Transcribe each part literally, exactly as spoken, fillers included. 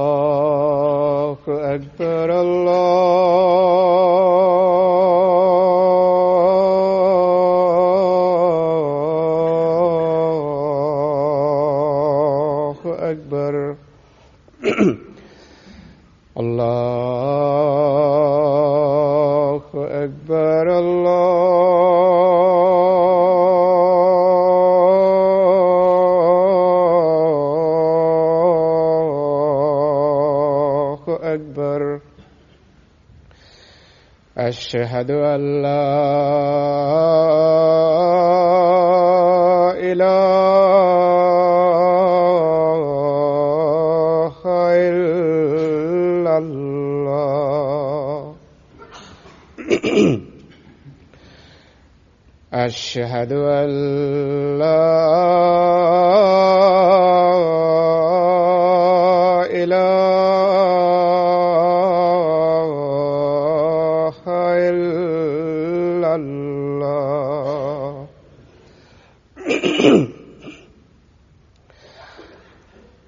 الله أكبر الله أكبر الله أكبر الله أكبر أشهد أن لا إله إلا الله أشهد أن لا إله إلا الله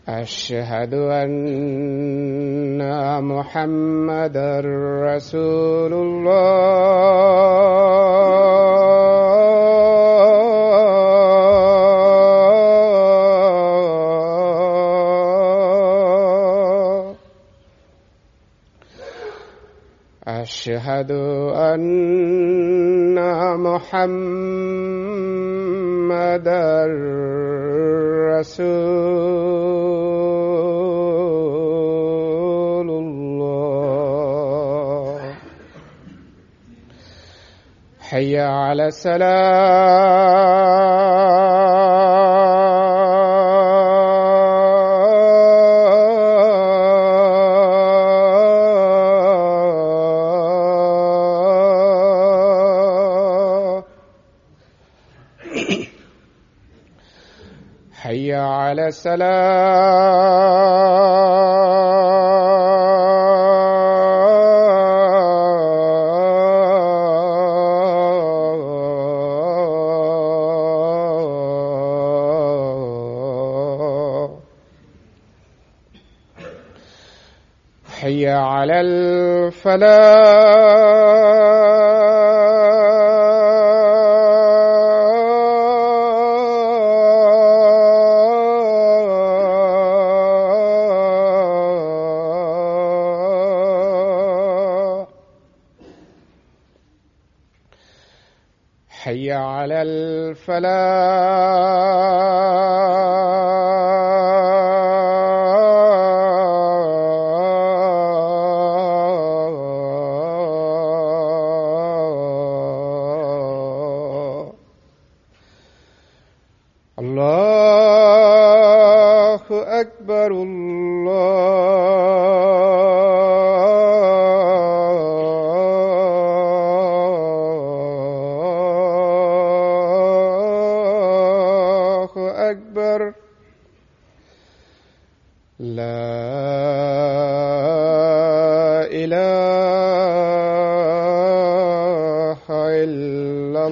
أشهد أن محمدا رسول الله أشهد أن محمدا رسول الله حي على الصلاة حي على الصلاة حي على الفلاح حي على الفلاح الله أكبر الله أكبر لا إله إلا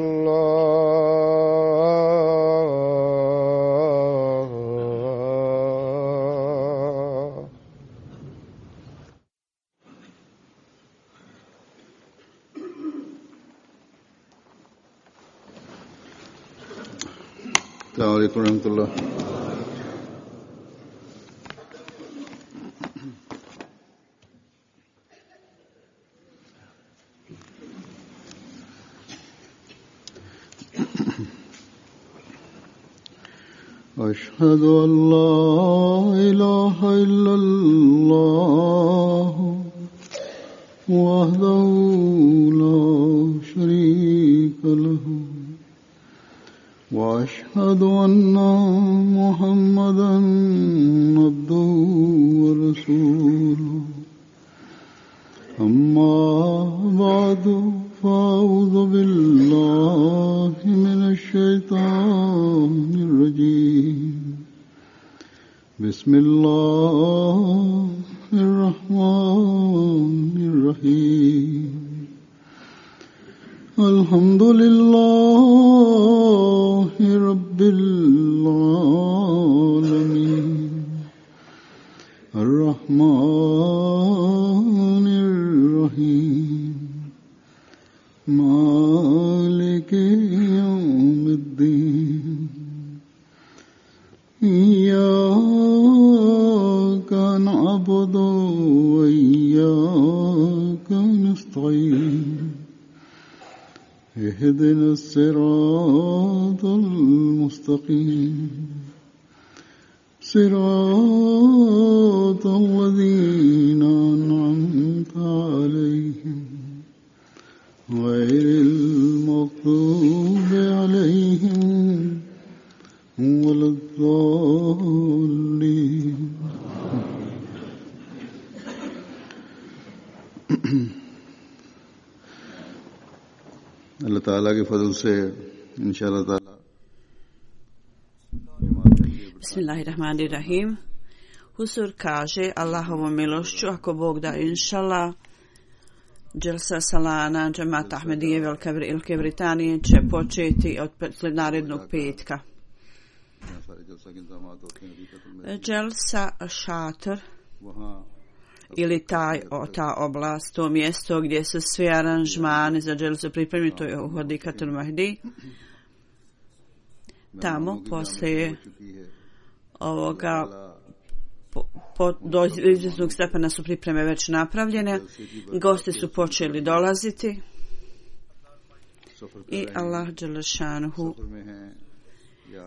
الله السلام عليكم ورحمة الله. أشهد أن لا إله إلا الله وحده لا شريك له وأشهد أن محمدا عبده ورسوله أما بعد فأعوذ بالله من الشيطان الرجيم بسم الله الرحمن الرحيم الحمد لله رب العالمين الرحمن الرحيم مالك يوم الدين إياك نعبد وإياك نستعين اهدنا الصراط المستقيم صراط الذين أنعمت عليهم غير المغضوب عليهم ولا الضالين. अल्लाह ताला के फजल से इंशाअल्लाह ताला Bismillahirrahmanirrahim. Husur kaže Allahovom milošću, ako Bog da, inšallah, Dželsa Salana Džemat Ahmedije Velike Britanije će početi od narednog petka. Dželsa Šator ili taj, o, ta oblast, to mjesto gdje su svi aranžmani za Dželsu pripremljeni, to je u Hodikatul Mahdi. Tamo poslije ovoga po, po, do izvjesnog stepena su pripreme već napravljene, gosti su počeli dolaziti i Allah Đelešanuhu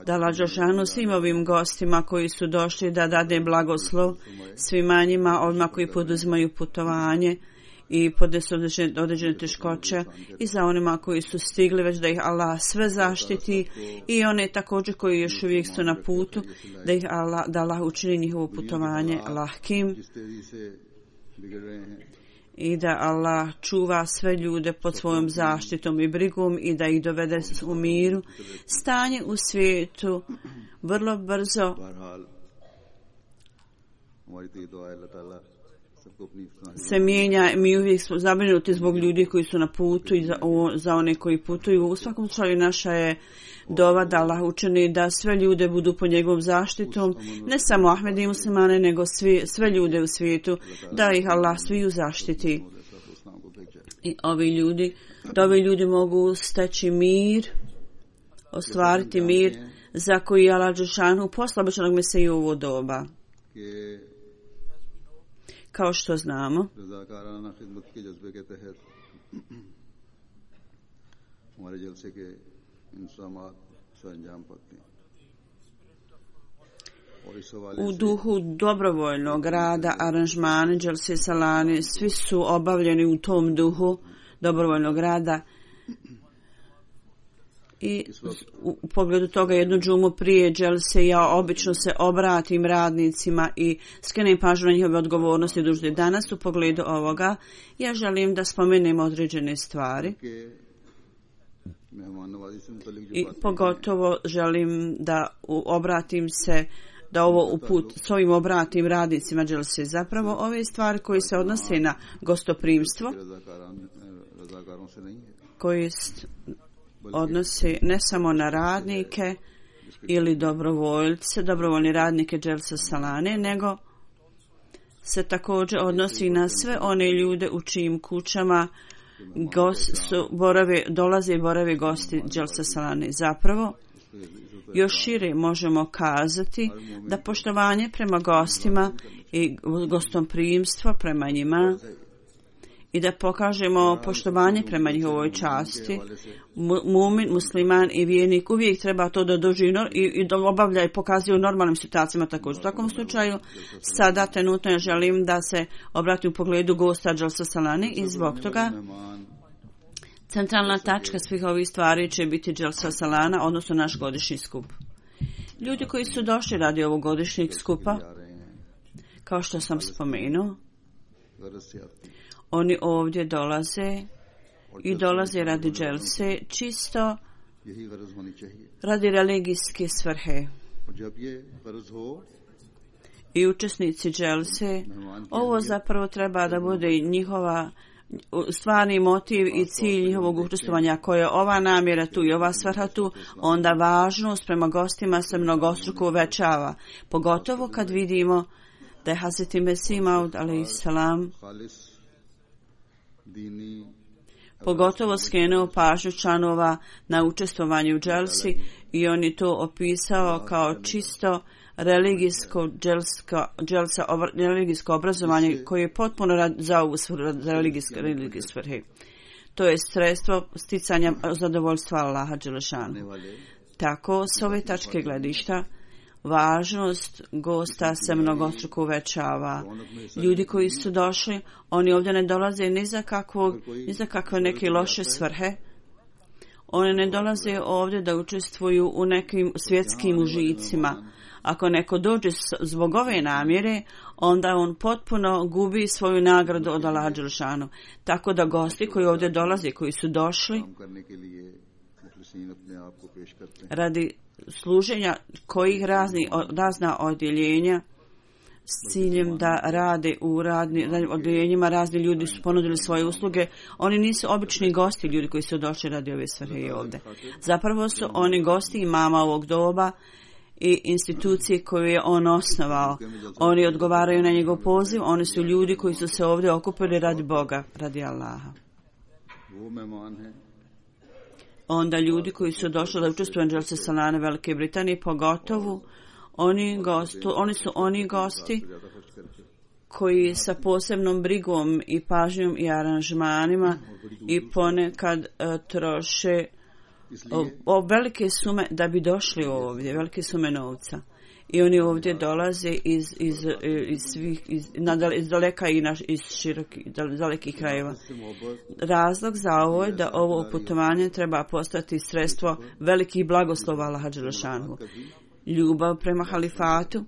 da Allah Đelešanuhu svim ovim gostima koji su došli da dade blagoslov svima njima, ovima koji poduzimaju putovanje i podnesu određene, određene teškoće, i za onima koji su stigli već da ih Allah sve zaštiti, i one također koji još uvijek su na putu da ih Allah, da Allah učini njihovo putovanje lahkim i da Allah čuva sve ljude pod svojom zaštitom i brigom i da ih dovede u miru. Stanje u svijetu vrlo brzo se mijenja, mi uvijek smo zabrinuti zbog ljudi koji su na putu i za, o, za one koji putuju. U svakom slučaju naša je dova da Allah učini da sve ljude budu pod njegovom zaštitom, ne samo Ahmedi i muslimane, nego svi, sve ljude u svijetu, da ih Allah sviju zaštiti. I ovi ljudi, da ovi ljudi mogu steći mir, ostvariti mir za koji Allah Đelešanu posla obećanog Mesiju u ovo doba. Kao što znamo, u duhu dobrovoljnog rada, aranžmani Dželse Salane, svi su obavljeni u tom duhu dobrovoljnog rada. I u pogledu toga jednu džumu prije Dželse ja obično se obratim radnicima i skrenem pažnju na njihove odgovornosti i dužnosti. Danas u pogledu ovoga ja želim da spomenem određene stvari i pogotovo želim da obratim se da ovo uput s ovim obratim radnicima Dželse. Zapravo ove stvari koje se odnose na gostoprimstvo, koje odnosi ne samo na radnike ili dobrovoljce, dobrovoljni radnike Dželse Salane, nego se također odnosi na sve one ljude u čijim kućama gost, su, borave, dolaze i borave gosti Dželse Salane. Zapravo, još šire možemo kazati da poštovanje prema gostima i gostomprimstvo prema njima i da pokažemo poštovanje prema njihovoj časti. Mumin, musliman i vjernik uvijek treba to da doživi i, i da obavlja i pokazuje u normalnim situacijama također. U takvom slučaju sada trenutno ja želim da se obrati u pogledu gosta Dželse Salane i zbog toga centralna tačka svih ovih stvari će biti Dželsa Salana, odnosno naš godišnji skup. Ljudi koji su došli radi ovog godišnjeg skupa, kao što sam spomenuo, oni ovdje dolaze i dolaze radi Dželse čisto radi religijske svrhe. I učesnici Dželse, ovo zapravo treba da bude njihova stvarni motiv i cilj njihovog učestvovanja. Ako je ova namjera tu i ova svrha tu, onda važnost prema gostima se mnogostruko uvećava. Pogotovo kad vidimo da je Hazreti Mesih Maud alejsalam pogotovo skrenuo pažnju članova na učestvovanje u dželsi i on je to opisao kao čisto religijsko dželska, dželsa, religijsko obrazovanje koje je potpuno rad, za ovu za religijske svrhe. To je sredstvo sticanja zadovoljstva Allaha dželešanu. Tako, s ove tačke gledišta, važnost gosta se mnogostruko uvećava. Ljudi koji su došli, oni ovdje ne dolaze ni za, kakvog, ni za kakve neke loše svrhe. Oni ne dolaze ovdje da učestvuju u nekim svjetskim užicima. Ako neko dođe zbog ove namjere, onda on potpuno gubi svoju nagradu od Allaha dželešanu. Tako da gosti koji ovdje dolaze, koji su došli radi služenja kojih razni, razna odjeljenja s ciljem da rade u radnim odjeljenjima, razni ljudi su ponudili svoje usluge. Oni nisu obični gosti, ljudi koji su došli radi ove svrhe ovdje. Zapravo su oni gosti imama ovog doba i institucije koju je on osnovao. Oni odgovaraju na njegov poziv, oni su ljudi koji su se ovdje okupili radi Boga, radi Allaha. Onda ljudi koji su došli da učestvuju u dželsi salane Velike Britanije, pogotovo oni, gostu, oni su oni gosti koji sa posebnom brigom i pažnjom i aranžmanima i ponekad uh, troše o, o velike sume da bi došli ovdje, velike sume novca. I oni ovdje dolaze iz, iz, iz svih, iz, iz daleka i naš, iz širokih, dalekih krajeva. Razlog za ovo je da ovo putovanje treba postati sredstvo velikih blagoslova Allaha dželešanu. Ljubav prema halifatu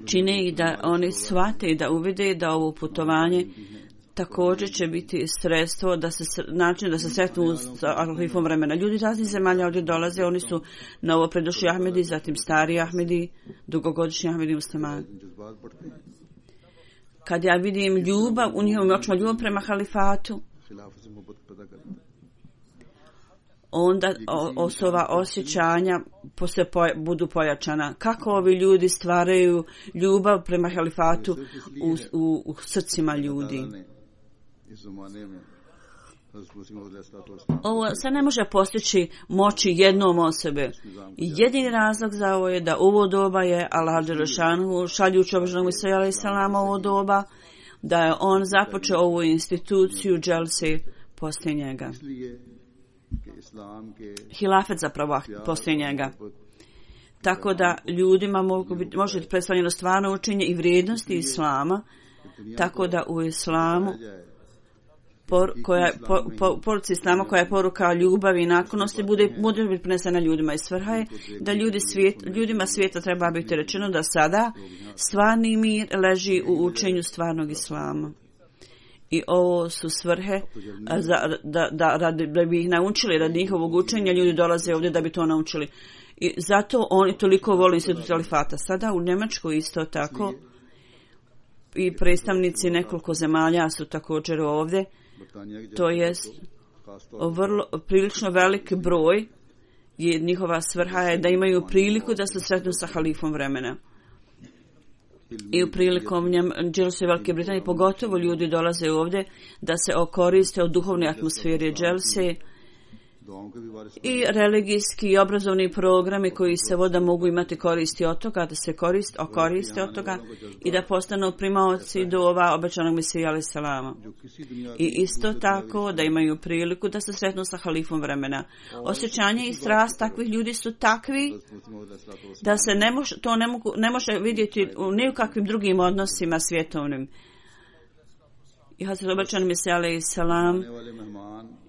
čine i da oni shvate i da uvide da ovo putovanje također će biti sredstvo da se način da se sretnu sa halifom vremena. Ljudi raznih zemalja ovdje dolaze, oni su novo predošli Ahmedi, zatim stari Ahmedi, dugogodišnji Ahmedi muslimani. Kad ja vidim ljubav, u njihovim očima ljubav prema halifatu, onda osoba osjećanja se poja, budu pojačana. Kako ovi ljudi stvaraju ljubav prema halifatu u, u, u srcima ljudi. Ovo se ne može postići moći jednom osobe. Jedini razlog za ovo je da ovo doba je Allah dželešanu šaljući obožanog Isa alejselama ovo doba, da je on započeo ovu instituciju dželse poslije njega. Hilafet zapravo poslije njega. Tako da ljudima mogu biti, može biti predstavljeno stvarno učenje i vrijednosti islama, tako da u islamu por, koja, po, po, poruci islama koja je poruka ljubavi i naklonosti bude, bude biti prenesena ljudima. I svrha je da ljudi svijet, ljudima svijeta treba biti rečeno da sada stvarni mir leži u učenju stvarnog islama. I ovo su svrhe za, da, da, da, da bi ih naučili radi njihovog učenja. Ljudi dolaze ovdje da bi to naučili. I zato oni toliko vole institut halifata. Sada u Njemačkoj isto tako i predstavnici nekoliko zemalja su također ovdje. To je vrlo, prilično velik broj. Je, njihova svrha je da imaju priliku da se sretnu sa halifom vremena. I u prilikom dželse Velike Britanije pogotovo ljudi dolaze ovdje da se okoriste od duhovne atmosfere dželse i religijski i obrazovni programi koji se voda mogu imati koristi od toga, da se korist, okoriste od toga i da postanu primaoci dova obećanog Mesija alejselama. I isto tako da imaju priliku da se sretnu sa halifom vremena. Osjećanje i strast takvih ljudi su takvi da se ne može, to ne, mogu, ne može vidjeti u ni u kakvim drugim odnosima svjetovnim. I Hazret obećan Mesija alejselam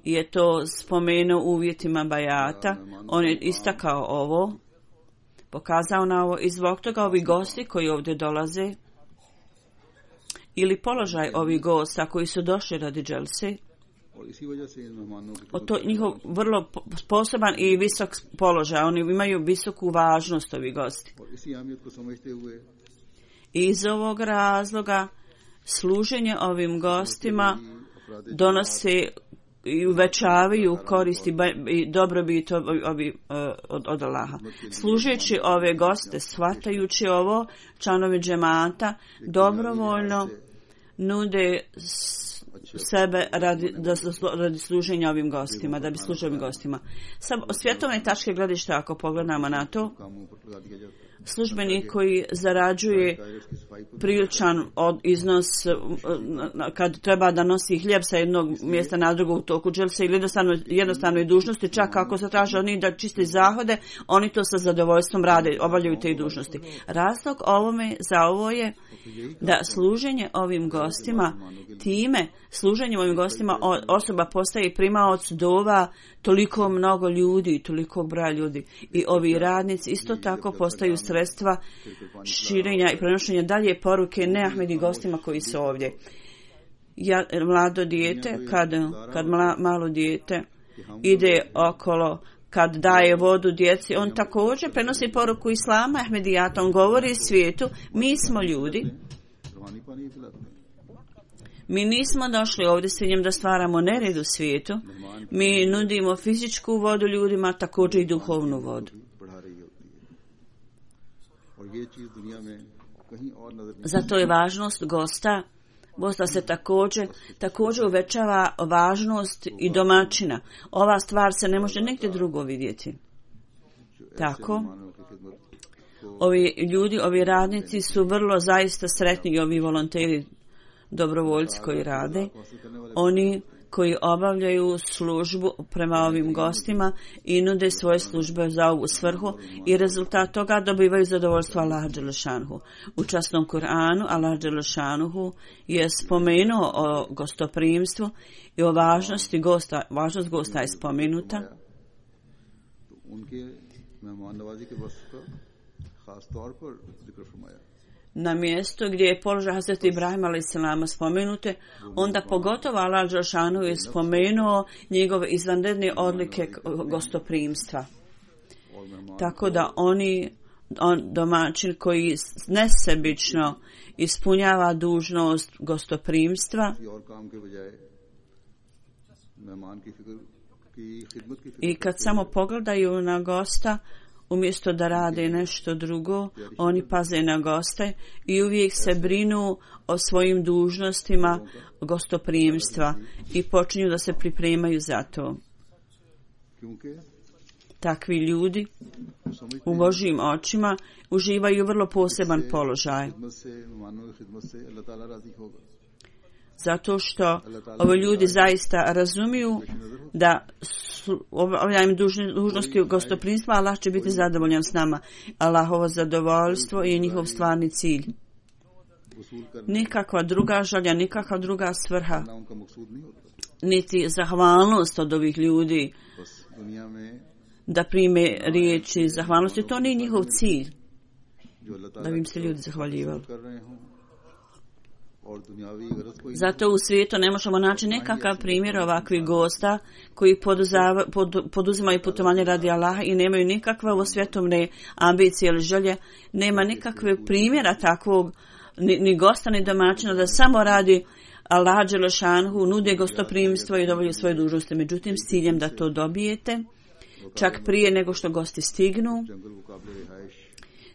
je to spomenuo u uvjetima bajata. On je istakao ovo, pokazao na ovo i zbog toga ovi gosti koji ovdje dolaze ili položaj ovih gosta koji su došli radi dželse, to njihov vrlo sposoban i visok položaj, oni imaju visoku važnost ovi gosti. I iz ovog razloga služenje ovim gostima donosi i uvećavaju koristi i dobrobit ovi od, od Allaha. Služeći ove goste, shvatajući ovo, članovi džemata dobrovoljno nude sebe radi, da, radi služenja ovim gostima, da bi služili ovim gostima. Sa svjetovne tačke gledišta, ako pogledamo na to, službenik koji zarađuje priličan od iznos kad treba da nosi hljeb sa jednog mjesta na drugo u toku dželse ili jednostavno, jednostavnoj dužnosti, čak ako se traže od njih da čiste zahode, oni to sa zadovoljstvom rade, obavljaju te dužnosti. Razlog ovome za ovo je da služenje ovim gostima, time služenjem ovim gostima osoba postaje primaoc dova toliko mnogo ljudi, toliko broja ljudi. I ovi radnici isto tako postaju sredstva širenja i prenošenja dalje poruke neahmedi gostima koji su ovdje. Ja, mlado dijete, kad, kad mla, malo dijete ide okolo, kad daje vodu djeci, on također prenosi poruku Islama, Ahmedijata, on govori svijetu, mi smo ljudi. Mi nismo došli ovdje s ciljem da stvaramo nered u svijetu. Mi nudimo fizičku vodu ljudima, također i duhovnu vodu. Zato je važnost gosta, gosta se također, također uvećava važnost i domaćina. Ova stvar se ne može nigdje drugo vidjeti. Tako, ovi ljudi, ovi radnici su vrlo zaista sretni i ovi volonteri, dobrovoljci koji rade, oni koji obavljaju službu prema ovim gostima i nude svoje službe za ovu svrhu i rezultat toga dobivaju zadovoljstvo Allaha dželešanuhu. U časnom Kur'anu Allah dželešanuhu je spomenuo o gostoprimstvu i o važnosti gosta, važnost gosta je spomenuta. Na mjesto gdje je položaj Hazreti Ibrahima alejselama spomenute, onda pogotovo Allah dželešanuhu je spomenuo njegove izvanredne odlike gostoprimstva. Tako da oni, on, domaćin koji nesebično ispunjava dužnost gostoprimstva i kad samo pogledaju na gosta, umjesto da rade nešto drugo, oni paze na goste i uvijek se brinu o svojim dužnostima gostoprimstva i počinju da se pripremaju za to. Takvi ljudi u Božjim očima uživaju vrlo poseban položaj. Zato što ovi ljudi zaista razumiju da obavljanjem dužnosti gostoprimstva Allah će biti zadovoljan s nama. Allahovo zadovoljstvo je njihov stvarni cilj. Nikakva druga želja, nikakva druga svrha, niti zahvalnost od ovih ljudi da prime riječi zahvalnosti. To nije njihov cilj, da bi im se ljudi zahvaljivali. Zato u svijetu ne možemo naći nekakav primjer ovakvih gosta koji poduzava, pod, poduzimaju putovanje radi Allaha i nemaju nikakve svjetovne ambicije ili želje. Nema nikakve primjera takvog ni, ni gosta ni domaćina da samo radi Allaha dželešanuhu, nude gostoprimstvo i dovolju svoje dužnosti. Međutim, s ciljem da to dobijete, čak prije nego što gosti stignu,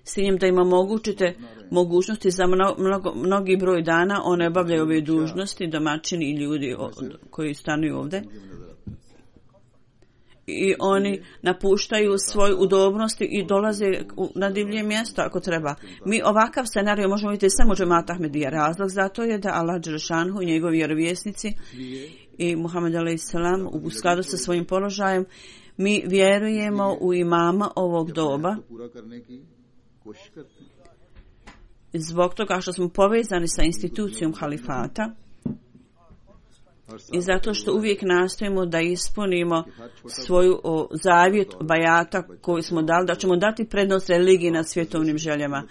s ciljem da im omogućite mogućnosti za mnogo, mnogi broj dana, one obavljaju ove dužnosti, domaćini i ljudi koji stanuju ovdje. I oni napuštaju svoju udobnost i dolaze na divlje mjesto ako treba. Mi ovakav scenarij možemo vidjeti samo u džematu Ahmedija. Razlog za to je da Allah dželešanuhu i njegovi vjerovjesnici i Muhammed alejselam u skladu sa svojim položajem, mi vjerujemo u imama ovog doba. Zbog toga što smo povezani sa institucijom halifata i zato što uvijek nastojimo da ispunimo svoju o, zavjet bajata koju smo dali, da ćemo dati prednost religiji nad svjetovnim željama.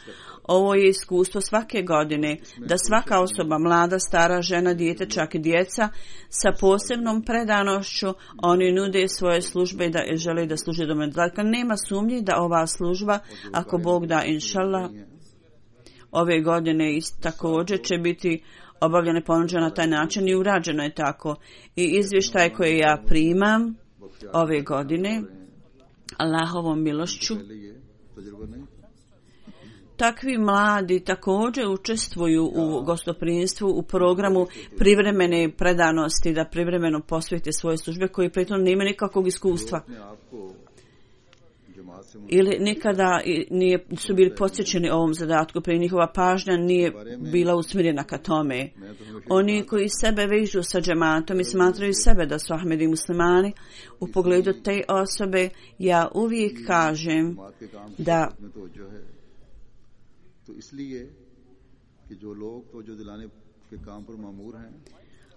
Ovo je iskustvo svake godine, da svaka osoba, mlada, stara, žena, dijete, čak i djeca, sa posebnom predanošću oni nude svoje službe da žele da služe do mene. Dakle, nema sumnji da ova služba, ako Bog da, inšallah, ove godine također će biti obavljeno i ponuđeno na taj način i urađeno je tako. I izvještaj koje ja primam ove godine Allahovom milošću, takvi mladi također učestvuju u gostoprimstvu u programu privremene predanosti, da privremeno posvete svoje službe koji pritom nemaju nikakvog iskustva ili nikada nije, su bili posjećeni ovom zadatku, prije njihova pažnja nije bila usmjerena ka tome. Oni koji sebe vežu sa džematom i smatraju sebe da su Ahmedi muslimani, u pogledu te osobe ja uvijek kažem da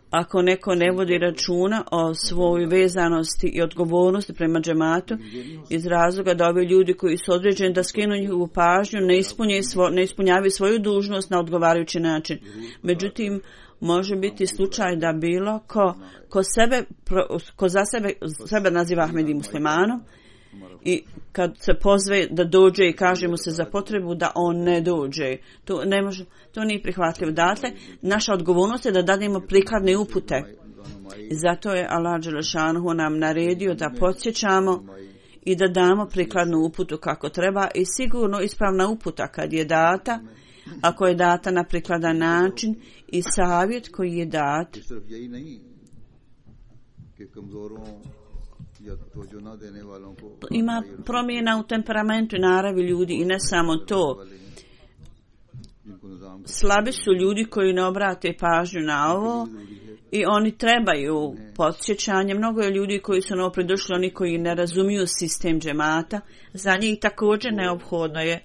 ako neko ne vodi računa o svojoj vezanosti i odgovornosti prema džematu iz razloga da ovi ljudi koji su određeni da skinu njihovu pažnju ne, svo, ne ispunjavaju svoju dužnost na odgovarajući način. Međutim, može biti slučaj da bilo ko, ko, sebe, ko za sebe, sebe naziva Ahmedi muslimanom i kad se pozve da dođe i kaže mu se za potrebu da on ne dođe. To, ne može, to nije prihvatljivo. Dakle, naša odgovornost je da dademo prikladne upute. Zato je Allah dželešanhu nam naredio da podsjećamo i da damo prikladnu uputu kako treba i sigurno ispravna uputa kad je data, ako je data na prikladan način i savjet koji je dat ima promjena u temperamentu i naravi ljudi i ne samo to. Slabi su ljudi koji ne obrate pažnju na ovo i oni trebaju podsjećanje. Mnogo je ljudi koji su novopridošli, oni koji ne razumiju sistem džemata. Za njih također neophodno je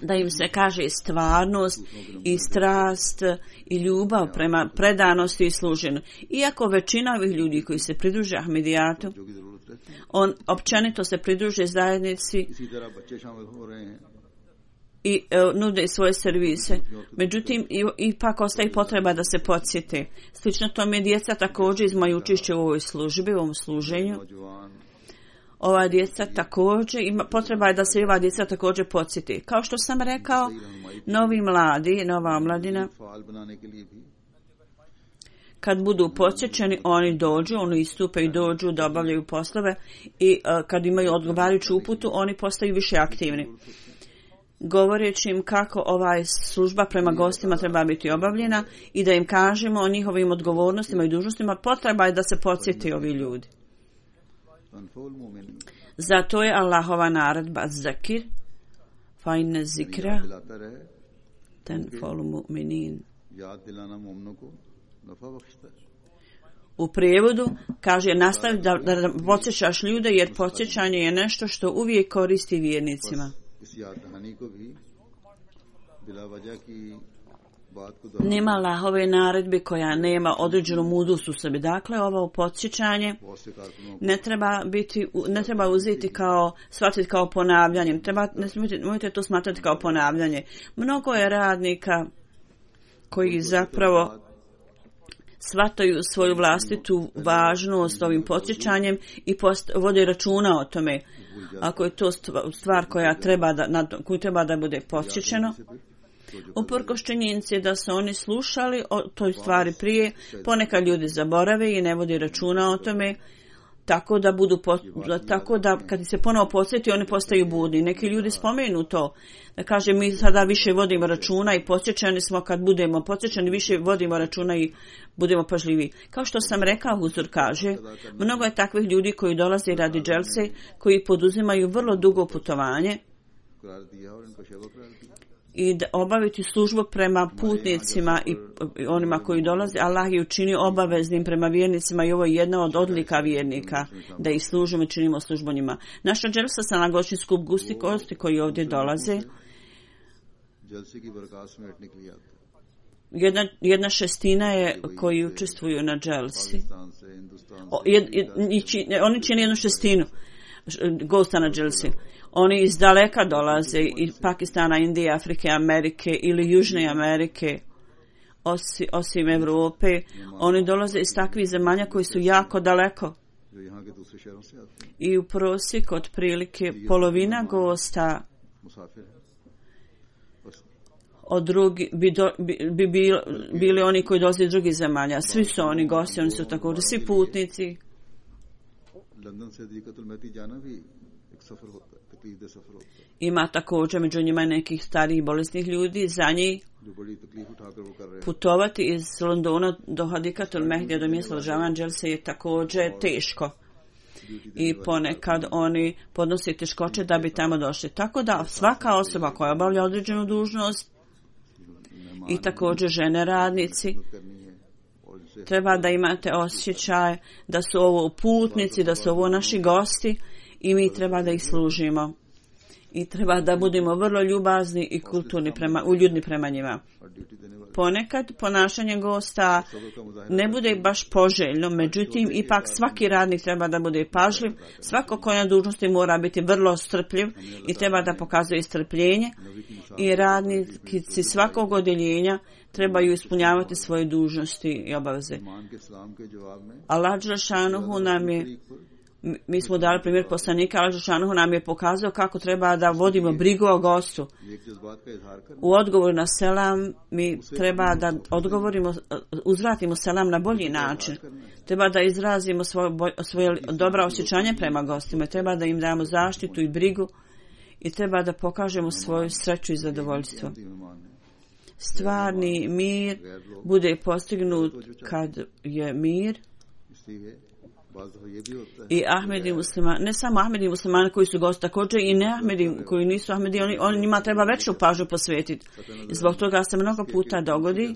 da im se kaže stvarnost i strast i ljubav prema predanosti i služenju. Iako većina ovih ljudi koji se pridruže Ahmedijatu, on općenito se pridruže zajednici i uh, nude svoje servise. Međutim, ipak ostaje potreba da se podsjete. Slično tome djeca također izmaju učešće u ovoj službi, u ovom služenju. Ova djeca također, ima, potreba je da se ova djeca također podsjeti. Kao što sam rekao, novi mladi, nova mladina, kad budu podsjećeni, oni dođu, oni istupe i dođu da obavljaju poslove i uh, kad imaju odgovarajuću uputu, oni postaju više aktivni. Govoreći im kako ovaj služba prema gostima treba biti obavljena i da im kažemo o njihovim odgovornostima i dužnostima, potreba je da se podsjeti ovi ljudi. Zato je Allahova naredba zakir fa inne zikra tanfa'ul mu'minin. U prijevodu kaže nastavi da, da, da podsjećaš ljude jer podsjećanje je nešto što uvijek koristi vjernicima. Nema Allahove naredbe koja nema određenu mudrost u sebi. Dakle, ovo podsjećanje ne treba biti, ne treba uzeti kao, shvatiti kao ponavljanje. Treba, ne smijete, možete to smatrati kao ponavljanje. Mnogo je radnika koji zapravo shvataju svoju vlastitu važnost ovim podsjećanjem i post, vode računa o tome. Ako je to stvar koja treba da, na, koju treba da bude podsjećeno, uprkos činjenici da su oni slušali o toj stvari prije, ponekad ljudi zaborave i ne vodi računa o tome, tako da budu tako da kad se ponovo podsjeti oni postaju budni. Neki ljudi spomenu to, da kaže mi sada više vodimo računa i podsjećani smo kad budemo podsjećani više vodimo računa i budemo pažljivi. Kao što sam rekao, Huzur kaže, mnogo je takvih ljudi koji dolaze radi dželse, koji poduzimaju vrlo dugo putovanje i da obaviti službu prema putnicima i onima koji dolaze. Allah je učinio obaveznim prema vjernicima i ovo je jedna od odlika vjernika, da ih služimo i činimo službu njima. Naša dželsa sa naglašen skup gusti kosti koji ovdje dolaze, jedna, jedna šestina je koji učestvuju na dželsi. O, jed, jed, oni čine jednu šestinu gosta na dželsi. Oni iz daleka dolaze, iz Pakistana, Indije, Afrike, Amerike ili Južne Amerike, osim, osim Evrope. Oni dolaze iz takvih zemalja koji su jako daleko. I u prosjeku otprilike polovina gosta od drugi, bi, do, bi, bi bili, bili oni koji dolaze iz drugih zemalja. Svi su oni gosti, oni su također svi putnici. Ima također među njima nekih starih bolesnih ljudi. Za njih putovati iz Londona do Hadikatul Mehdija, do mjesta održavanja dželse, je također teško. I ponekad oni podnose teškoće da bi tamo došli. Tako da svaka osoba koja obavlja određenu dužnost i također žene radnici treba da imate osjećaj da su ovo putnici, da su ovo naši gosti i mi treba da ih služimo. I treba da budemo vrlo ljubazni i kulturni prema, uljudni prema njima. Ponekad ponašanje gosta ne bude baš poželjno, međutim ipak svaki radnik treba da bude pažljiv, svako ko je na dužnosti mora biti vrlo strpljiv i treba da pokazuje strpljenje i radnici svakog odjeljenja trebaju ispunjavati svoje dužnosti i obaveze. Allah dželešanuhu nam je, mi smo dali primjer poslanika, Allah dželešanuhu nam je pokazao kako treba da vodimo brigu o gostu. U odgovoru na selam mi treba da odgovorimo, uzvratimo selam na bolji način. Treba da izrazimo svoje, svoje dobra osjećanje prema gostima, treba da im damo zaštitu i brigu i treba da pokažemo svoju sreću i zadovoljstvo. Stvarni mir bude postignut kad je mir i Ahmedi muslimani, ne samo Ahmedi muslimani koji su gosti, također i ne Ahmedi koji nisu Ahmedi, oni, oni njima treba veću pažnju posvetiti. I zbog toga se mnogo puta dogodi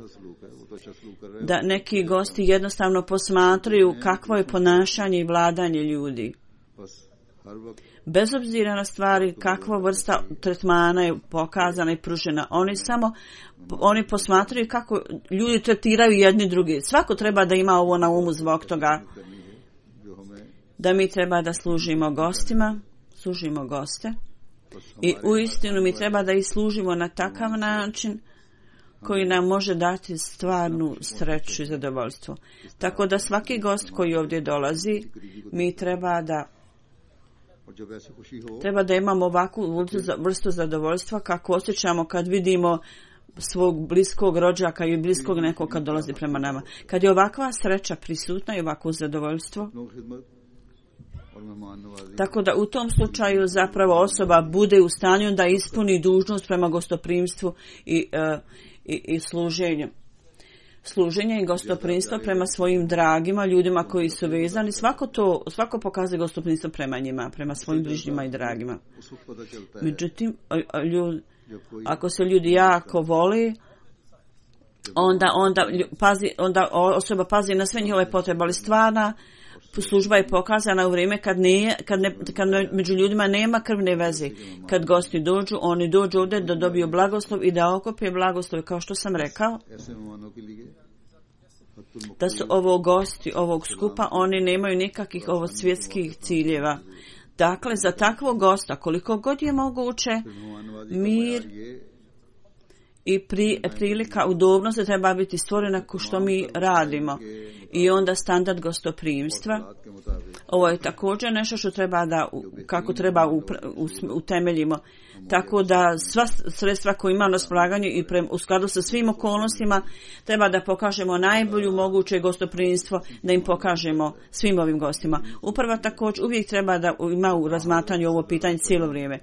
da neki gosti jednostavno posmatraju kakvo je ponašanje i vladanje ljudi. Bez obzira na stvari, kakva vrsta tretmana je pokazana i pružena. Oni samo oni posmatraju kako ljudi tretiraju jedni drugi. Svako treba da ima ovo na umu zbog toga da mi treba da služimo gostima, služimo goste i uistinu mi treba da ih služimo na takav način koji nam može dati stvarnu sreću i zadovoljstvo. Tako da svaki gost koji ovdje dolazi, mi treba da treba da imamo ovakvu vrstu zadovoljstva kako osjećamo kad vidimo svog bliskog rođaka i bliskog nekog kad dolazi prema nama. Kad je ovakva sreća prisutna i ovakvo zadovoljstvo, tako da u tom slučaju zapravo osoba bude u stanju da ispuni dužnost prema gostoprimstvu i, uh, i, i služenju. Služenje i gostoprimstvo prema svojim dragima, ljudima koji su vezani, svako to, svako pokazuje gostoprimstvo prema njima, prema svojim bližnjima i dragima. Međutim, ljud, ako se ljudi jako voli, onda, onda, pazi, onda osoba pazi na sve njihove potrebe, ali stvarna služba je pokazana u vrijeme kad, ne, kad, ne, kad među ljudima nema krvne veze. Kad gosti dođu, oni dođu ovdje da dobiju blagoslov i da okupe blagoslov. Kao što sam rekao, da su ovo gosti ovog skupa, oni nemaju nikakvih ovo svjetskih ciljeva. Dakle, za takvog gosta, koliko god je moguće, mir i pri, prilika udobnosti treba biti stvorena ko što mi radimo. I onda standard gostoprimstva. Ovo je također nešto što treba da, kako treba utemeljimo. Tako da sva sredstva koje ima na raspolaganju i pre, u skladu sa svim okolnostima treba da pokažemo najbolju moguće gostoprimstvo, da im pokažemo svim ovim gostima. Upravo također uvijek treba da ima u razmatranju ovo pitanje cijelo vrijeme.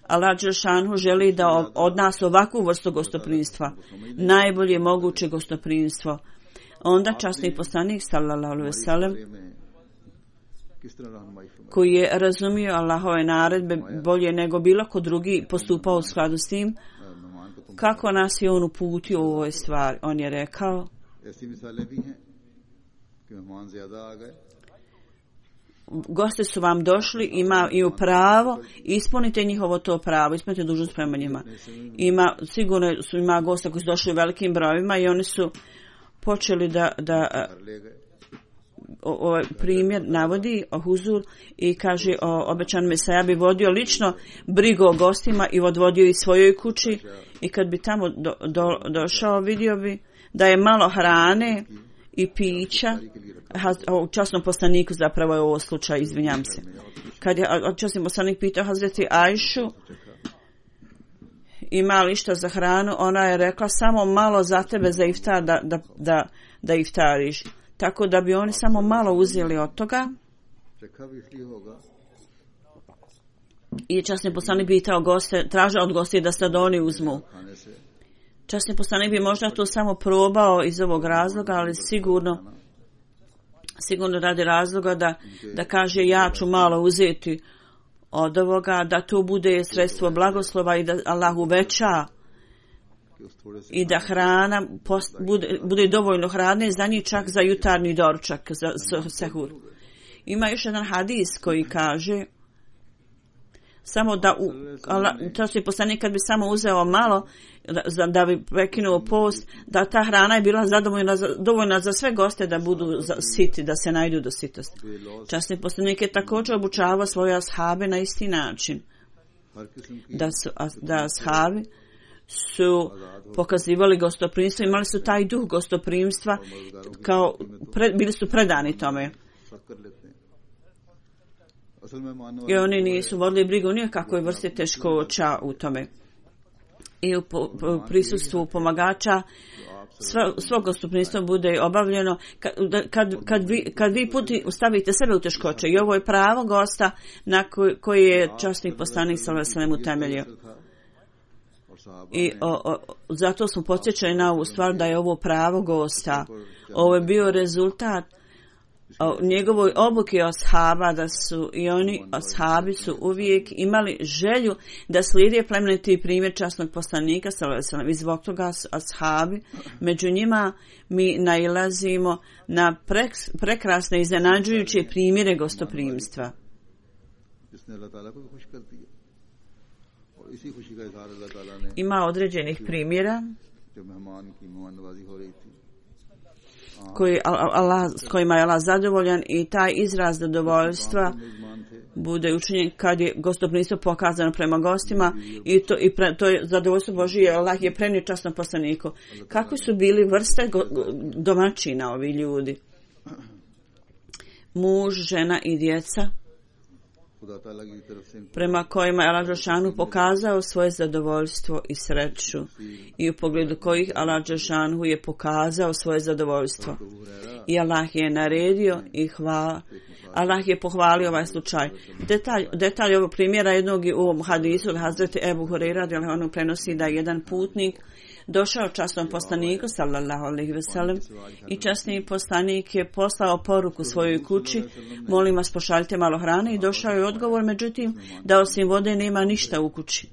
Allah dželešanuhu želi da od nas ovakvu vrstu gostoprimstva, najbolje moguće gostoprimstvo. Onda časni poslanik sallallahu alejhi ve sellem, koji je razumio Allahove naredbe bolje nego bilo ko drugi, postupao u skladu s tim, kako nas je on uputio u ovoj stvari. On je rekao: gosti su vam došli, ima, imaju pravo, ispunite njihovo to pravo, ispunite dužnost prema njima. Ima, sigurno su ima gosta koji su došli u velikim brojevima i oni su počeli da, da ovaj primjer navodi o huzur i kaže o obećan Mesaja bi vodio lično brigu o gostima i odvodio ih svojoj kući i kad bi tamo do, do, došao vidio bi da je malo hrane i pića. U časnom poslaniku zapravo je ovo slučaj, izvinjam se. Kad je časni poslanik pitao Hazreti Ajšu ima li što za hranu, ona je rekla samo malo za tebe za iftar da, da, da, da iftariš. Tako da bi oni samo malo uzeli od toga. I časni poslanik pitao goste, traže od gosti da sad oni uzmu. Časni poslanik bi možda to samo probao iz ovog razloga, ali sigurno sigurno radi razloga da, da kaže ja ću malo uzeti od ovoga, da to bude sredstvo blagoslova i da Allah uveća i da hrana post, bude, bude dovoljno hrane za njih, čak za jutarnji doručak, za sehur. Ima još jedan hadis koji kaže samo da u, to se poslanik kad bi samo uzeo malo da, da bi prekinuo post, da ta hrana je bila zadovoljna za, dovoljna za sve goste da budu za, siti, da se najdu do sitosti. Časni poslanik je također obučavao svoje ashabe na isti način. Da su da ashabi su pokazivali gostoprimstvo, imali su taj duh gostoprimstva, kao pre, bili su predani tome. I oni nisu vodili brigu ni o kakvoj vrsti teškoća u tome. I u, po, u prisustvu pomagača svo, svo gostoprimstvo bude obavljeno kad, kad, kad vi, kad vi puti stavite sebe u teškoće. I ovo je pravo gosta na koji, koji je časni poslanik sallallahu alejhi ve sellem utemeljio. I o, o, zato smo podsjećali na ovu stvar da je ovo pravo gosta. Ovo je bio rezultat o njegovoj obuke ashaba, da su i oni ashabi su uvijek imali želju da slijede plemeniti primjer časnog poslanika sallallahu alejhi ve sellem. I zbog toga ashabi, među njima mi nailazimo na prek, prekrasne iznenađujuće primjere gostoprimstva. Ima određenih primjera koji Allah, s kojima je Allah zadovoljan i taj izraz zadovoljstva bude učinjen kad je gostoprimstvo pokazano prema gostima i to, i pre, to je zadovoljstvo Božije. Allah je prenio časnom poslaniku. Kako su bili vrste go, domaćina ovi ljudi? Muž, žena i djeca, prema kojima je Allah dželešanu pokazao svoje zadovoljstvo i sreću i u pogledu kojih Allah dželešanu je pokazao svoje zadovoljstvo. I Allah je naredio i hvala. Allah je pohvalio ovaj slučaj. Detalj, detalj ovog primjera jednog u ovom hadisu od Hazreti Ebu Hurajre radijallahu anhu prenosi da je jedan putnik došao časnom poslaniku sallallahu alejhi ve sellem i časni poslanik je poslao poruku svojoj kući, molim vas pošaljite malo hrane, i došao je odgovor, međutim da osim vode nema ništa u kući.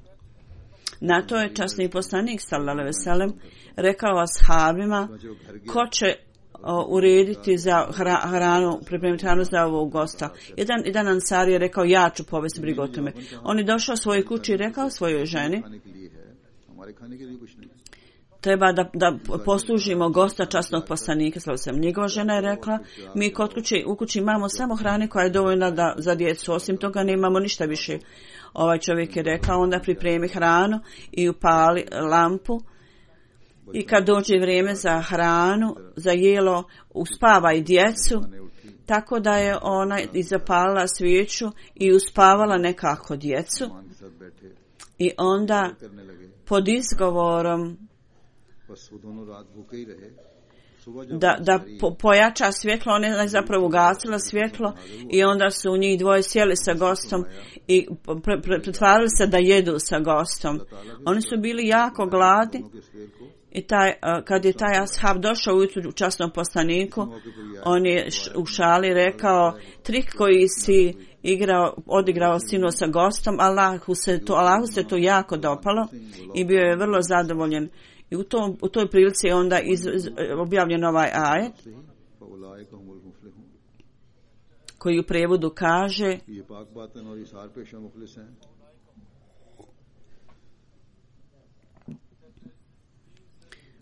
Na to je časni poslanik sallallahu alejhi ve sellem rekao ashabima ko će o, urediti za hra, hranu, pripremiti hranu za ovog gosta. Jedan, jedan ansar je rekao ja ću povesti brigu o tome. On je došao svojoj kući i rekao svojoj ženi treba da, da poslužimo gosta časnog poslanika. Njegova žena je rekla mi kod kući, u kući imamo samo hrane koja je dovoljna da, za djecu, osim toga nemamo ništa više. Ovaj čovjek je rekao onda pripremi hranu i upali lampu i kad dođe vrijeme za hranu, za jelo, uspavaj djecu, tako da je ona i zapalila svijeću i uspavala nekako djecu i onda pod izgovorom da, da po, pojača svjetlo, ona je zapravo ugasila svjetlo i onda su u njih dvoje sjeli sa gostom i pre, pre, pretvarali se da jedu sa gostom. Oni su bili jako gladni i taj, kad je taj ashab došao ujutru u časnom poslaniku, on je u šali rekao trik koji si igrao, odigrao sinu sa gostom, Allahu se to, Allahu se to jako dopalo i bio je vrlo zadovoljen. I u, tom, u toj prilici je onda iz, iz, objavljen ovaj ajet koji u prevodu kaže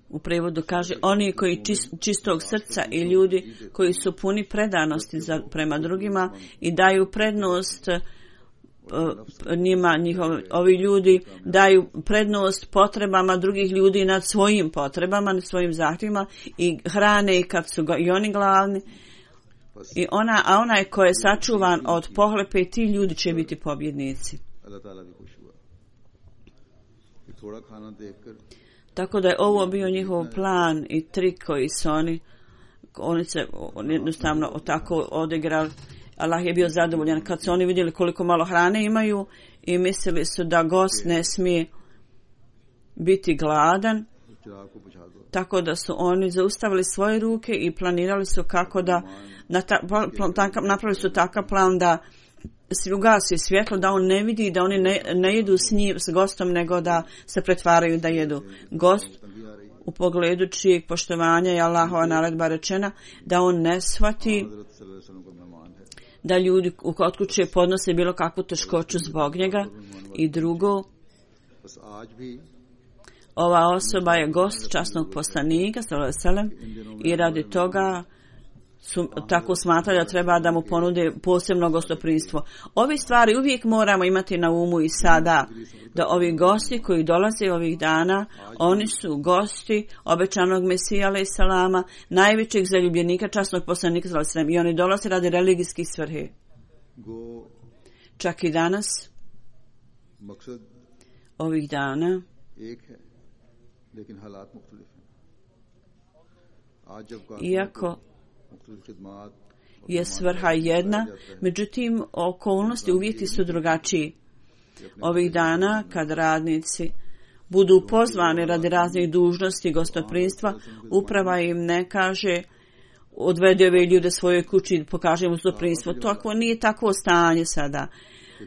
u prevodu kaže oni koji čist, čistog srca i ljudi koji su puni predanosti za, prema drugima i daju prednost njima, njihovi, ovi ljudi daju prednost potrebama drugih ljudi nad svojim potrebama, nad svojim zahtjevima i hrane i kad su ga, i oni glavni i ona, a onaj ko je sačuvan od pohlepe, ti ljudi će biti pobjednici. थोड़ा खाना देखकर Tako da je ovo bio njihov plan i trik koji su oni, oni se oni jednostavno tako odigrali. Allah je bio zadovoljan kad su oni vidjeli koliko malo hrane imaju i mislili su da gost ne smije biti gladan. Tako da su oni zaustavili svoje ruke i planirali su kako da napravili su takav plan da se ugasi svjetlo, da on ne vidi, da oni ne, ne jedu s njim, s gostom, nego da se pretvaraju da jedu. Gost u pogledu čijeg poštovanja je Allahova naredba rečena da on ne shvati da ljudi kod kuće podnose bilo kakvu teškoću zbog njega. I drugo, ova osoba je gost časnog poslanika sallallahu alejhi ve sellem i radi toga su tako smatrali da treba da mu ponude posebno gostoprimstvo. Ovi stvari uvijek moramo imati na umu i sada, da ovi gosti koji dolaze ovih dana, oni su gosti obećanog Mesija alejhi selama, najvećeg zaljubljenika časnog poslanika sallallahu alejhi ve sellem, i oni dolaze radi religijskih svrhe. Čak i danas, ovih dana, iako je svrha jedna, međutim okolnosti, uvjeti su drugačiji. Ovih dana kad radnici budu pozvani radi raznih dužnosti i gostoprimstva, uprava im ne kaže odvede ove ljude svoje kući i pokaže im gostoprimstvo. To nije takvo stanje sada.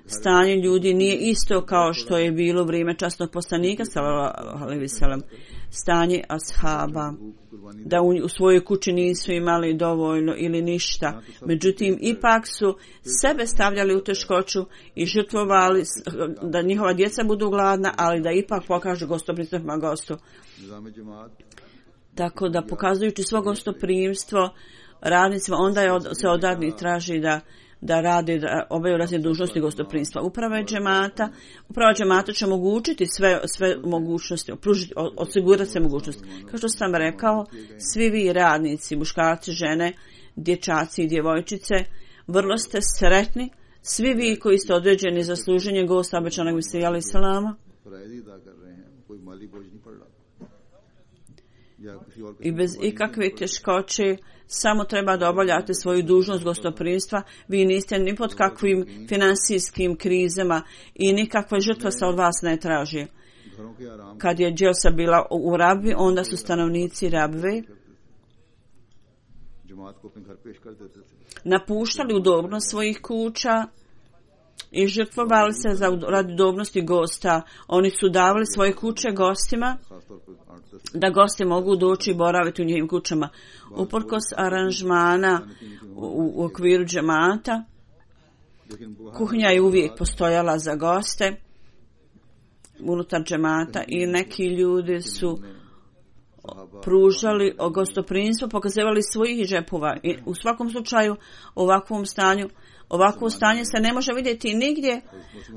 Stanje ljudi nije isto kao što je bilo u vrijeme časnog poslanika sallallahu alejhi ve sellem. Stanje ashaba, da u, u svojoj kući nisu imali dovoljno ili ništa. Međutim, ipak su sebe stavljali u teškoću i žrtvovali da njihova djeca budu gladna, ali da ipak pokažu gostoprimstvo prema gostu. Tako da pokazujući svo gostoprimstvo radnicima, onda je od, se od radnih traži da da rade, da obavljaju razne dužnosti gostoprimstva. Uprava džemata, uprava džemata će omogućiti sve, sve mogućnosti, pružiti, osigurati sve mogućnosti. Kao što sam rekao, svi vi radnici, muškarci, žene, dječaci i djevojčice, vrlo ste sretni, svi vi koji ste određeni za služenje gosta obećanog Mesija alejhi selama. I bez ikakve teškoće samo treba da obavljate svoju dužnost gostoprimstva. Vi niste ni pod kakvim finansijskim krizama i nikakva žrtva se od vas ne traži. Kad je Dželsa bila u Rabvi, onda su stanovnici Rabve napuštali udobnost svojih kuća i žrtvovali se za radi udobnosti gosta. Oni su davali svoje kuće gostima da gosti mogu doći i boraviti u njihovim kućama. Uprkos aranžmana u, u okviru džemata, kuhinja je uvijek postojala za goste unutar džemata i neki ljudi su pružali gostoprimstvo, pokazivali svojih džepova. I u svakom slučaju ovakvom stanju Ovakvo stanje se ne može vidjeti nigdje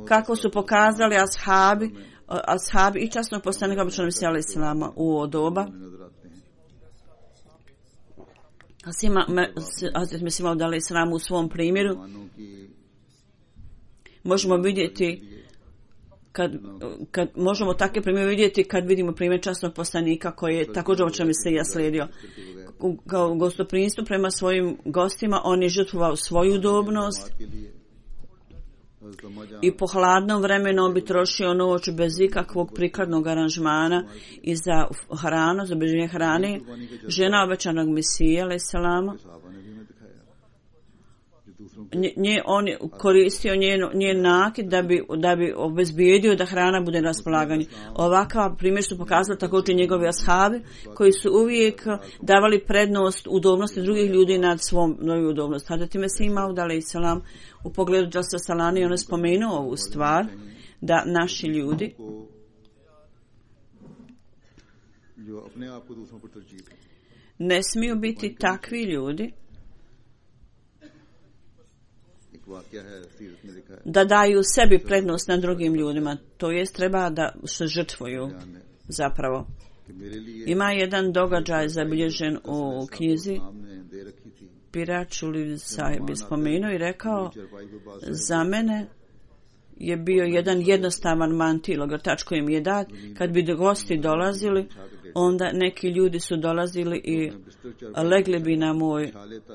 kako su pokazali ashabi, ashabi i časnog poslanika obećanog Mesija alejhi selama u doba. Hazret Mesih Maud alejhi selam u svom primjeru možemo vidjeti kad, kad možemo takve primjere vidjeti kad vidimo primjer časnog poslanika koji je također obećanog Mesija slijedio. Kao gostoprimstvo prema svojim gostima, on je žrtvovao svoju udobnost i po hladnom vremenu on bi trošio noć bez ikakvog prikladnog aranžmana i za hranu, za obezbeđenje hrane. Žena obećanog Mesija alejhi selama, nje, on je koristio njen, njen nakit da bi, da bi obezbijedio da hrana bude na raspolaganju. Ovakav primjer su pokazali također njegovi ashabi koji su uvijek davali prednost udobnosti drugih ljudi nad svom novoj udobnosti. Hazret Mesih Maud alejhi selam u pogledu Dželsa Salani on je spomenuo ovu stvar da naši ljudi ne smiju biti takvi ljudi da daju sebi prednost nad drugim ljudima, to jest treba da se žrtvuju zapravo. Ima jedan događaj zabilježen u knjizi, Piračuli sahib je spomenuo i rekao, za mene je bio jedan jednostavan mantil, ogrtač koji im je dat. Kad bi gosti dolazili, onda neki ljudi su dolazili i legli bi na moj,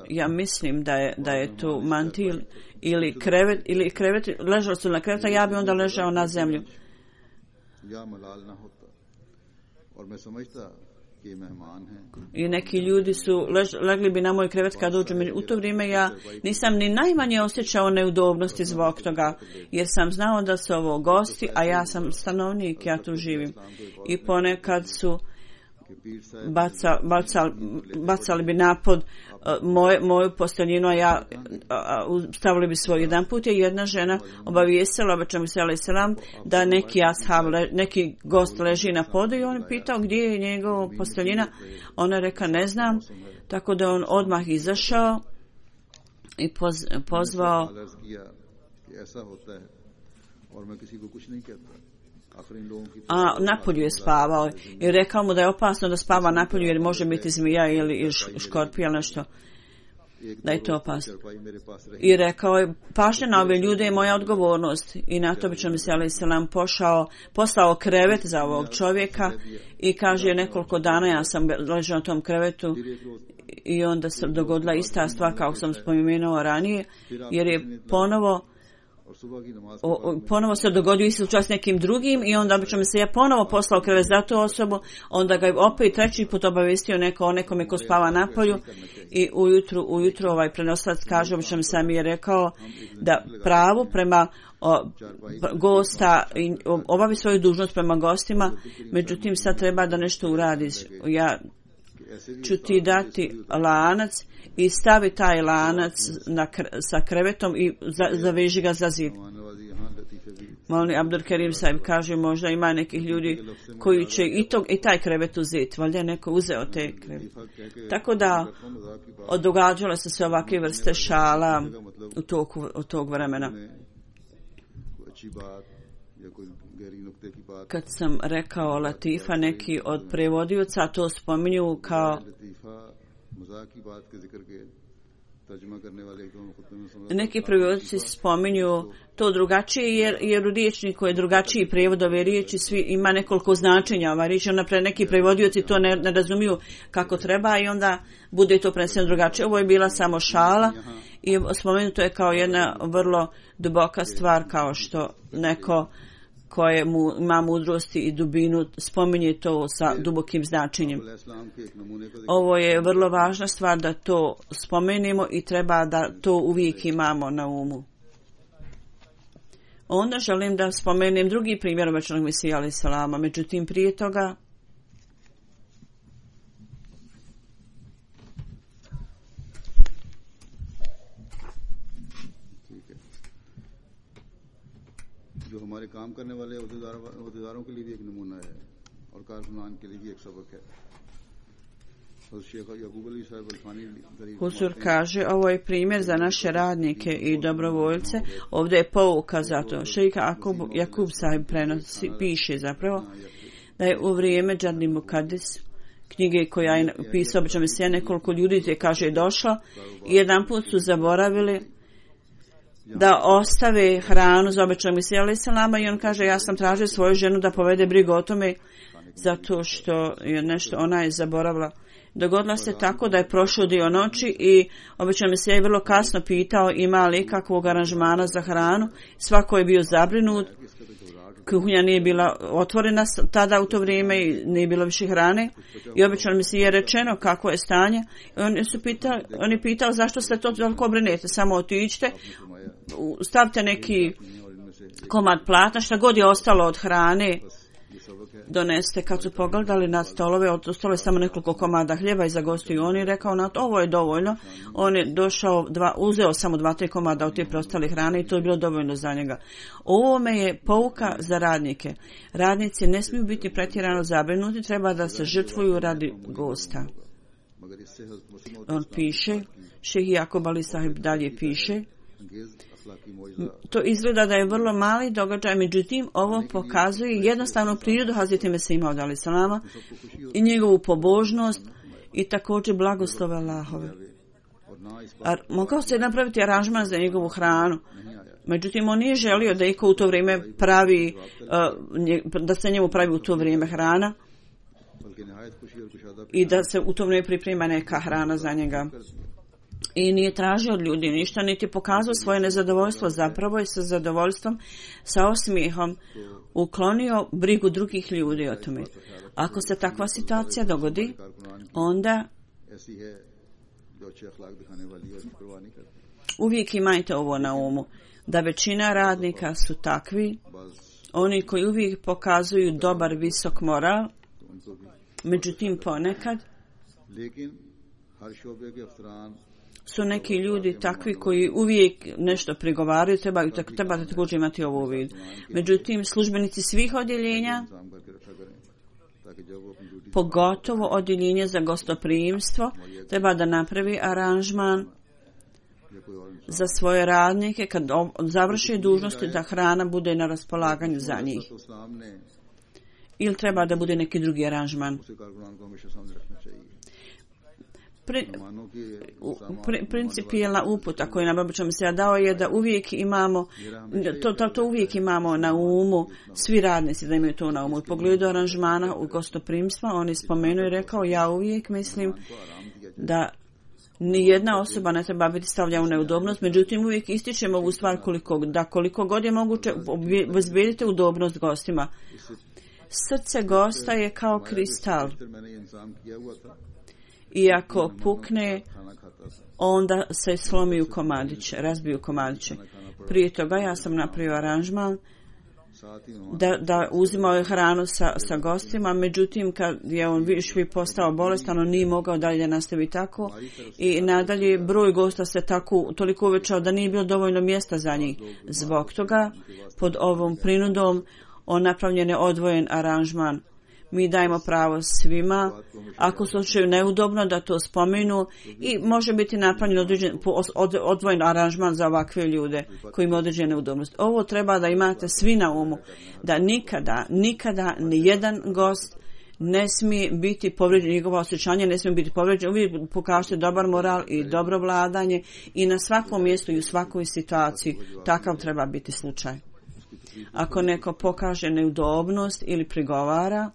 ja mislim da je, da je to mantil ili krevet, ili krevet, ležali su na kreveta, ja bi onda ležao na zemlju. I neki ljudi su lež, legli bi na moj krevet kad dođu. U to vrijeme ja nisam ni najmanje osjećao neudobnosti zbog toga, jer sam znao da su ovo gosti, a ja sam stanovnik, ja tu živim. I ponekad su baca, bacal, bacali bi napod uh, moj, moju posteljinu, a ja uh, stavili bi svoj. Jedan put je jedna žena obavijestila, obećam se alejhi selam, da neki ashab, neki gost leži na podu i on je pitao gdje je njegova posteljina. Ona reka ne znam, tako da on odmah izašao i poz, pozvao a napolju je spavao i rekao mu da je opasno da spava napolju jer može biti zmija ili škorpija ili nešto, da je to opasno. I rekao je, pažnja na ove ljude je moja odgovornost. I na to bi će mi se alejhi selam pošao, poslao krevet za ovog čovjeka i kaže nekoliko dana ja sam ležao na tom krevetu i onda se dogodila ista stvar kao sam spomenuo ranije, jer je ponovo O, o, ponovo se dogodio isti slučaj s nekim drugim i onda obično mi se ja ponovo poslao krevet za tu osobu, onda ga je opet treći put obavestio neko o nekome ko spava napolju i ujutru, ujutru ovaj prenoslac kaže, obično mi sam je rekao da pravu prema o, gosta i obavi svoju dužnost prema gostima, međutim sad treba da nešto uradiš. Ja ću ti dati lanac i stavi taj lanac na, sa krevetom i za, zaveži ga za zid. Molim Abdul Kerim Saib kaže, možda ima nekih ljudi koji će i, to, i taj krevet uzeti, valjda je neko uzeo te krevet. Tako da događale su se ovakve vrste šala u toku, u tog vremena. Kad sam rekao Latifa, neki od prevodioca to spominju kao neki prevodioci spominju to drugačije jer, jer u riječniku je drugačiji prevod ove riječi, svi ima nekoliko značenja ova riječ, onda pre neki prevodioci to ne, ne razumiju kako treba i onda bude to preneseno drugačije. Ovo je bila samo šala i spomenuto je kao jedna vrlo duboka stvar, kao što neko koje mu, ima mudrosti i dubinu spominje to sa dubokim značenjem. Ovo je vrlo važna stvar da to spomenemo i treba da to uvijek imamo na umu. Onda želim da spomenem drugi primjer obećanog Mesija alejhi selama, međutim prije toga जो हमारे काम करने वाले अहदेदारों के लिए भी एक नमूना है और कारकुनान के लिए भी एक सबक है. Huzur kaže, ovo je primjer za naše radnike i dobrovoljce. Ovdje je pouka za to. Šejh Jakub, Jakub Sahib prenosi, piše zapravo da je u vrijeme Džadni Mukadis, knjige koja je pisao obično Mesija, nekoliko ljudi je kaže došlo i jedan put su zaboravili da ostave hranu za obećanog Mesija alejhi selama i on kaže ja sam tražio svoju ženu da povede brigu o tome zato što je nešto ona je zaboravila. Dogodilo se tako da je prošao dio noći i obećanog Mesija je vrlo kasno pitao ima li kakvog aranžmana za hranu. Svako je bio zabrinut. Kuhinja nije bila otvorena tada u to vrijeme i nije bilo više hrane. I obećanog Mesija je rečeno kako je stanje. I on, su pitao, on je pitao zašto ste to toliko brinete. Samo otiđite, stavite neki komad platna, šta god je ostalo od hrane doneste. Kad su pogledali na stolove, ostalo je samo nekoliko komada hljeba i za gostiju. On je rekao, na ovo je dovoljno. On je došao, dva, uzeo samo dva, tri komada od te preostale hrane i to je bilo dovoljno za njega. Ovome je pouka za radnike. Radnici ne smiju biti pretjerano zabrinuti, treba da se žrtvuju radi gosta. On piše, Šejh Jakub Ali Sahib dalje piše, to izgleda da je vrlo mali događaj, međutim ovo pokazuje jednostavnu prirodu Hazreti Mesija alejhi selama i njegovu pobožnost i također blagoslove Allahove. Ar, mogao se napraviti aranžman za njegovu hranu, Međutim, on nije želio da iko u to vrijeme pravi, da se njemu pravi u to vrijeme hrana i da se u to vrijeme priprema neka hrana za njega. I nije tražio od ljudi ništa, niti pokazao svoje nezadovoljstvo, zapravo je sa zadovoljstvom, sa osmijehom uklonio brigu drugih ljudi o tome. Ako se takva situacija dogodi, onda uvijek imajte ovo na umu, da većina radnika su takvi, oni koji uvijek pokazuju dobar, visok moral, međutim ponekad su neki ljudi takvi koji uvijek nešto prigovaraju, trebaju, trebate također imati ovo u vidu. Međutim, službenici svih odjeljenja, pogotovo odjeljenje za gostoprimstvo, treba da napravi aranžman za svoje radnike kad završi dužnosti da hrana bude na raspolaganju za njih. Ili treba da bude neki drugi aranžman. Pri, pri, principijelna uputa koju nam obično se dao je da uvijek imamo to, to, to uvijek imamo na umu, svi radnici da imaju to na umu. U pogledu aranžmana u gostoprimstva on je spomenuo i rekao, ja uvijek mislim da ni jedna osoba ne treba biti stavljena u neudobnost, međutim uvijek ističemo ovu stvar koliko, da koliko god je moguće obezbijedite udobnost gostima. Srce gosta je kao kristal. I ako pukne, onda se slomi u komadiće, razbiju komadiće. Prije toga ja sam napravio aranžman da, da uzimao hranu sa, sa gostima, međutim kad je on više postao bolestan, on nije mogao dalje nastaviti tako i nadalje broj gosta se tako toliko uvećao da nije bilo dovoljno mjesta za njih. Zbog toga pod ovom prinudom on napravljen je odvojen aranžman. Mi dajemo pravo svima, ako se osjećaju neudobno, da to spomenu i može biti napravljen određen, od, odvojen aranžman za ovakve ljude koji imaju određene neudobnost. Ovo treba da imate svi na umu, da nikada, nikada ni jedan gost ne smije biti povrijeđen, njegovo osjećanje ne smije biti povrijeđen. Uvijek pokažete dobar moral i dobro vladanje i na svakom mjestu i u svakoj situaciji takav treba biti slučaj. Ako neko pokaže neudobnost ili prigovara,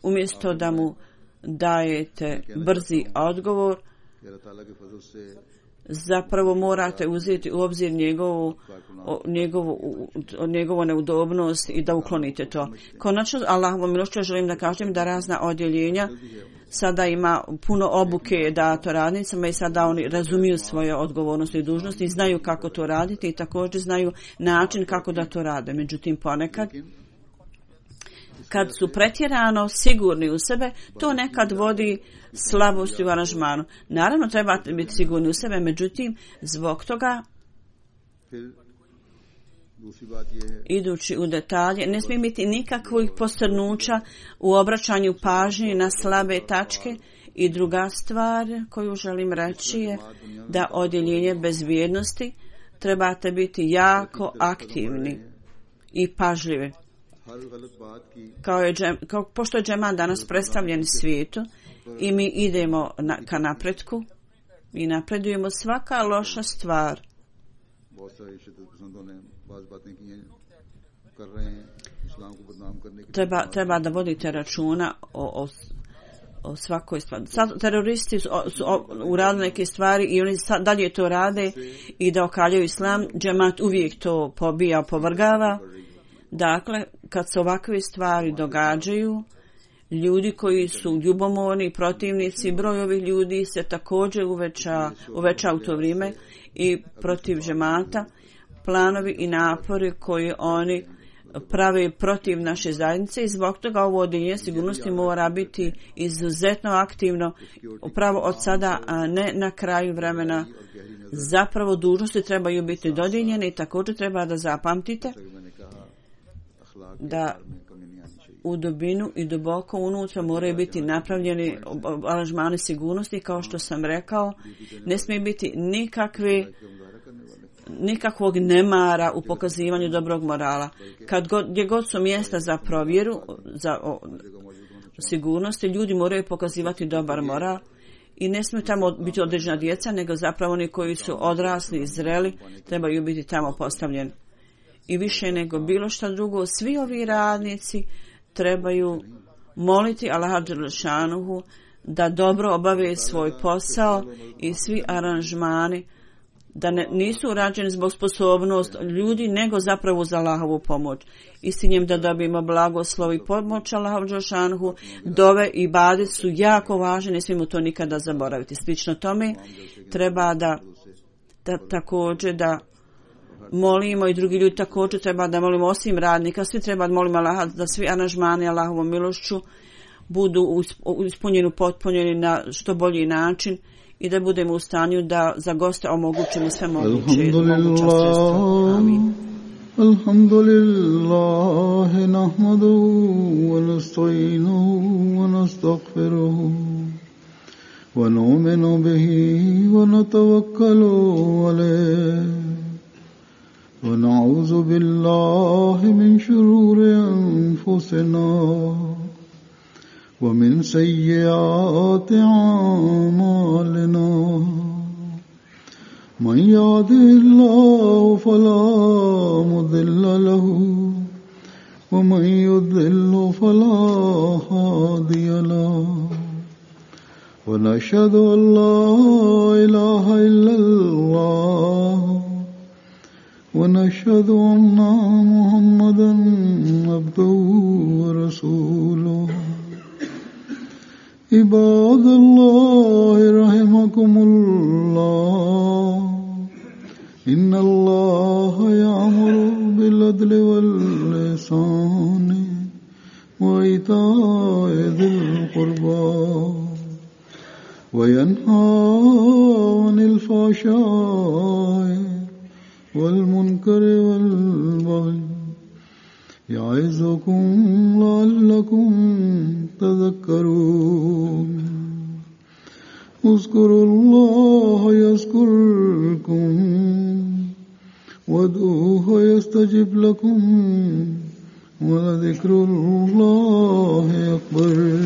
umjesto da mu dajete brzi odgovor, zapravo morate uzeti u obzir njegovu, njegovu, njegovu neudobnost i da uklonite to. Konačno, Allahovom milošću želim da kažem da razna odjeljenja sada ima puno obuke dato radnicama i sada oni razumiju svoje odgovornosti i dužnosti i znaju kako to raditi i također znaju način kako da to rade. Međutim, ponekad kad su pretjerano sigurni u sebe, to nekad vodi slabosti u aranžmanu. Naravno, trebate biti sigurni u sebe, međutim, zbog toga, idući u detalje, ne smije biti nikakvih postrnuća u obraćanju pažnje na slabe tačke. I druga stvar koju želim reći je da odjeljenje bezbjednosti trebate biti jako aktivni i pažljivi. Kao je, kao, pošto je džemat danas predstavljen svijetu i mi idemo na, ka napretku i napredujemo, svaka loša stvar treba, treba da vodite računa o, o, o svakoj stvari. Sad, teroristi su, su uradili neke stvari i oni sad, dalje to rade i da okaljaju islam. Džemat uvijek to pobija, povrgava. Dakle, kad se ovakve stvari događaju, ljudi koji su ljubomorni, protivnici, broj ovih ljudi se također uveća, uveća u to vrijeme i protiv džemata, planovi i napori koji oni prave protiv naše zajednice i zbog toga ovo odjeljenje sigurnosti mora biti izuzetno aktivno upravo od sada, a ne na kraju vremena. Zapravo dužnosti trebaju biti dodijeljene i također treba da zapamtite da u dubinu i duboko unutra moraju biti napravljeni aranžmani sigurnosti, kao što sam rekao, ne smije biti nikakve nikakvog nemara u pokazivanju dobrog morala. Kad god, gdje god su mjesta za provjeru, za o, sigurnosti, ljudi moraju pokazivati dobar moral i ne smiju tamo biti određena djeca, nego zapravo oni koji su odrasli i zreli trebaju biti tamo postavljeni. I više nego bilo što drugo, svi ovi radnici trebaju moliti Allaha dželešanuhu da dobro obave svoj posao i svi aranžmani da ne, nisu urađeni zbog sposobnost ljudi, nego zapravo za Allahovu pomoć. I s njim da dobijemo blagoslov i pomoć Allaha dželešanuhu, dove i ibadet su jako važni, ne smijemo to nikada zaboraviti. Slično tome treba da, da također da molimo i drugi ljudi također treba da molimo osim radnika, svi treba da molimo Allaha da svi aranžmani Allahovom milošću budu ispunjeni, potpunjeni na što bolji način i da budemo u stanju da za goste omogućimo sve moguće moguća sredstva. Amin. Alhamdulillah, nahmaduhu wa nasta'inuhu wa nastaghfiruhu wa nu'minu bihi wa natawakkalu alayhi wa na'udhu billahi min shururi anfusina ومن سيئات أعمالنا من يهده الله فلا مضل له ومن يضلل فلا هادي له ونشهد أن لا إله إلا الله ونشهد أن محمدا عبده ورسوله عباد الله رحمكم الله إن الله يأمر بالعدل والإحسان وإيتاء ذي القربى وينهى عن الفحشاء والمنكر والبغي يعظكم لعلكم تذكرون اذكروا الله يذكركم وادعوه يستجب لكم ولذكر الله أكبر.